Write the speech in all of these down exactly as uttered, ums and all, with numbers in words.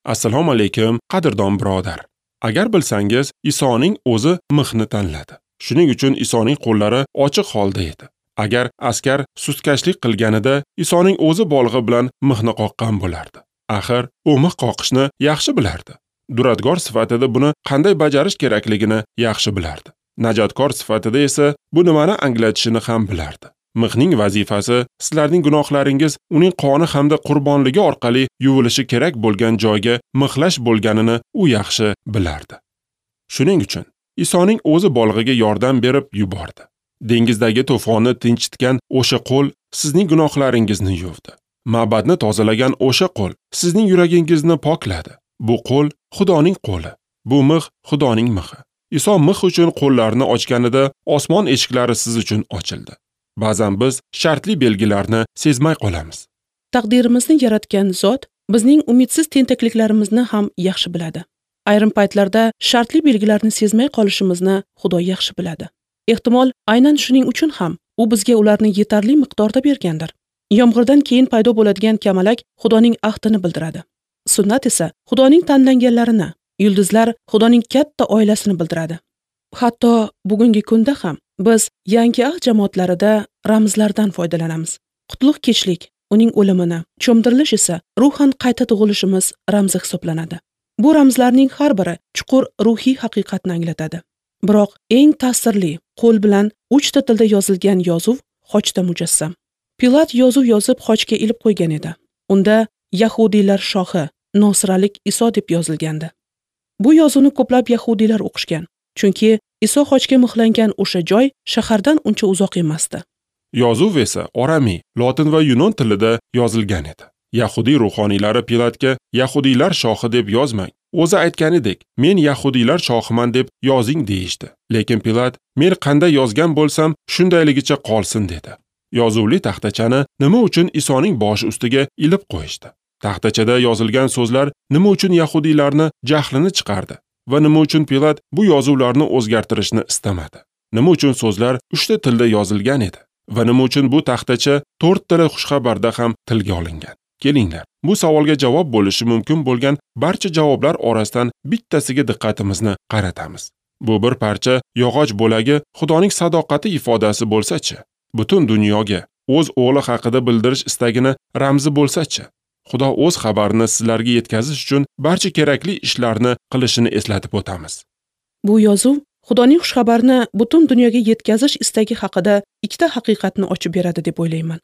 Assalomu alaykum, qadrdon birodar. Agar bilsangiz, Isoning o'zi mixni tanladi. Shuning uchun Isoning qo'llari ochiq holda edi. Agar askar sustkashlik qilganida, Isoning o'zi bolg'a bilan mixni qoqqan bo'lardi. Axir, u mix qoqishni yaxshi bilardi. Duradgor sifatida buni qanday bajarish kerakligini yaxshi bilardi. Najotkor sifatida esa bu nimani anglatishini ham bilardi. Mixning vazifasi sizlarning gunohlaringiz uning qoni hamda qurbonligi orqali yuvilishi kerak bo'lgan joyga mixlash bo'lganini u yaxshi bilardi. Shuning uchun Isoning o'zi bolg'iga yordam berib yubordi. Dengizdagi to'fonni tinchitgan o'sha qo'l sizning gunohlaringizni yuvdi. Ma'badni tozalagan o'sha qo'l sizning yuragingizni pokladi. Bu qo'l Xudoning qo'li. Bu mix Xudoning mixi. Iso mix uchun qo'llarini ochganida osmon eshiklari siz uchun ochildi. Ba'zan biz shartli belgilarni sezmay qolamiz. Taqdirimizni yaratgan zot bizning umidsiz tentakliklarimizni ham yaxshi biladi. Ayrim paytlarda shartli belgilarni sezmay qolishimizni Xudo yaxshi biladi. Ehtimol, aynan shuning uchun ham u bizga ularni yetarli miqdorda bergandir. Yomg'irdan keyin paydo bo'ladigan kamalak Xudoning ahdini bildiradi. Sunnat esa Xudoning tanlanganlarini, yulduzlar Xudoning katta oilasini bildiradi. Hatto bugungi kunda ham biz yangi ahd jamoatlarida ramzlardan foydalanamiz. Qutlug' kechlik uning o'limini, cho'mdirilish esa ruhan qayta tug'ilishimiz ramzi hisoblanadi. Bu ramzlarning har biri chuqur ruhiy haqiqatni anglatadi. Biroq eng ta'sirli qo'l bilan uchta tilda yozilgan yozuv xochda mujassam. Pilat yozuv yozib xochga ilib qo'ygan edi. Unda Yahudiylar shohi Nosiralik Iso deb yozilgandi. Bu yozuvni ko'plab yahudiylar o'qishgan, chunki Iso xochga mixlangan o'sha joy shahardan uncha uzoq emasdi. Yozuv esa oramiy, lotin va yunon tilida yozilgan edi. Yahudiy ruhoniylari Pilatga Yahudiylar shohi deb yozmang, o'zi aytganidek, men Yahudiylar shohiman deb yozing deyishdi. Lekin Pilat, men qanday yozgan bo'lsam, shundayligicha qolsin dedi. Yozuvli taxtachani nima uchun Isoning boshi ustiga ilib qo'yishdi? Taxtachada yozilgan so'zlar nima uchun yahudiylarni jahlini chiqardi va nima uchun Pilat bu yozuvlarni o'zgartirishni istamadi? Nima uchun so'zlar uchta tilda yozilgan edi va nima uchun bu taxtacha to'rt tili xushxabarda ham tilga olingan? Kelinglar, bu savolga javob bo'lishi mumkin bo'lgan barcha javoblar orasidan bittasiga diqqatimizni qaratamiz. Bu bir parcha yog'och bo'lagi Xudoning sadoqati ifodasi bo'lsa-chi, butun dunyoga o'z o'g'li haqida bildirish istagini ramzi bo'lsa-chi, Xudo o'z xabarini sizlarga yetkazish uchun barcha kerakli ishlarni qilishini eslatib o'tamiz. Bu yozuv Xudoning xushxabarini butun dunyoga yetkazish istagi haqida ikkita haqiqatni ochib beradi deb o'ylayman.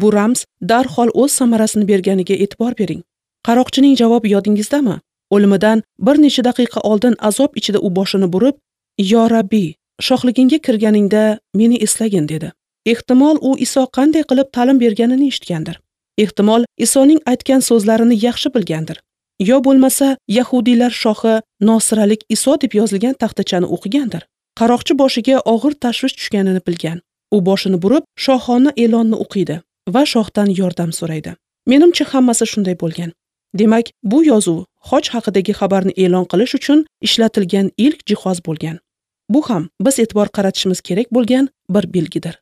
Bu ramz darhol o'z samarasini berganiga e'tibor bering. Qaroqchining javobi yodingizdami? O'limidan bir necha daqiqa oldin azob ichida u boshini burib, "Yo Rabbi, shohligingga kirganingda meni eslagin" dedi. Ehtimol u Iso qanday qilib ta'lim berganini eshitgandir. Ehtimol Isoning aytgan so'zlarini yaxshi bilgandir. Yo bo'lmasa Yahudiylar shohi Nosiralik Iso deb yozilgan taxtachani o'qigandir. Qaroqchi boshiga og'ir tashvish tushganini bilgan. U boshini burib, shohona e'lonni o'qiydi va shohdan yordam so'raydi. Menimcha hammasi shunday bo'lgan. Demak, bu yozuv xoch haqidagi xabarni e'lon qilish uchun ishlatilgan ilk jihoz bo'lgan. Bu ham biz e'tibor qaratishimiz kerak bo'lgan bir belgidir.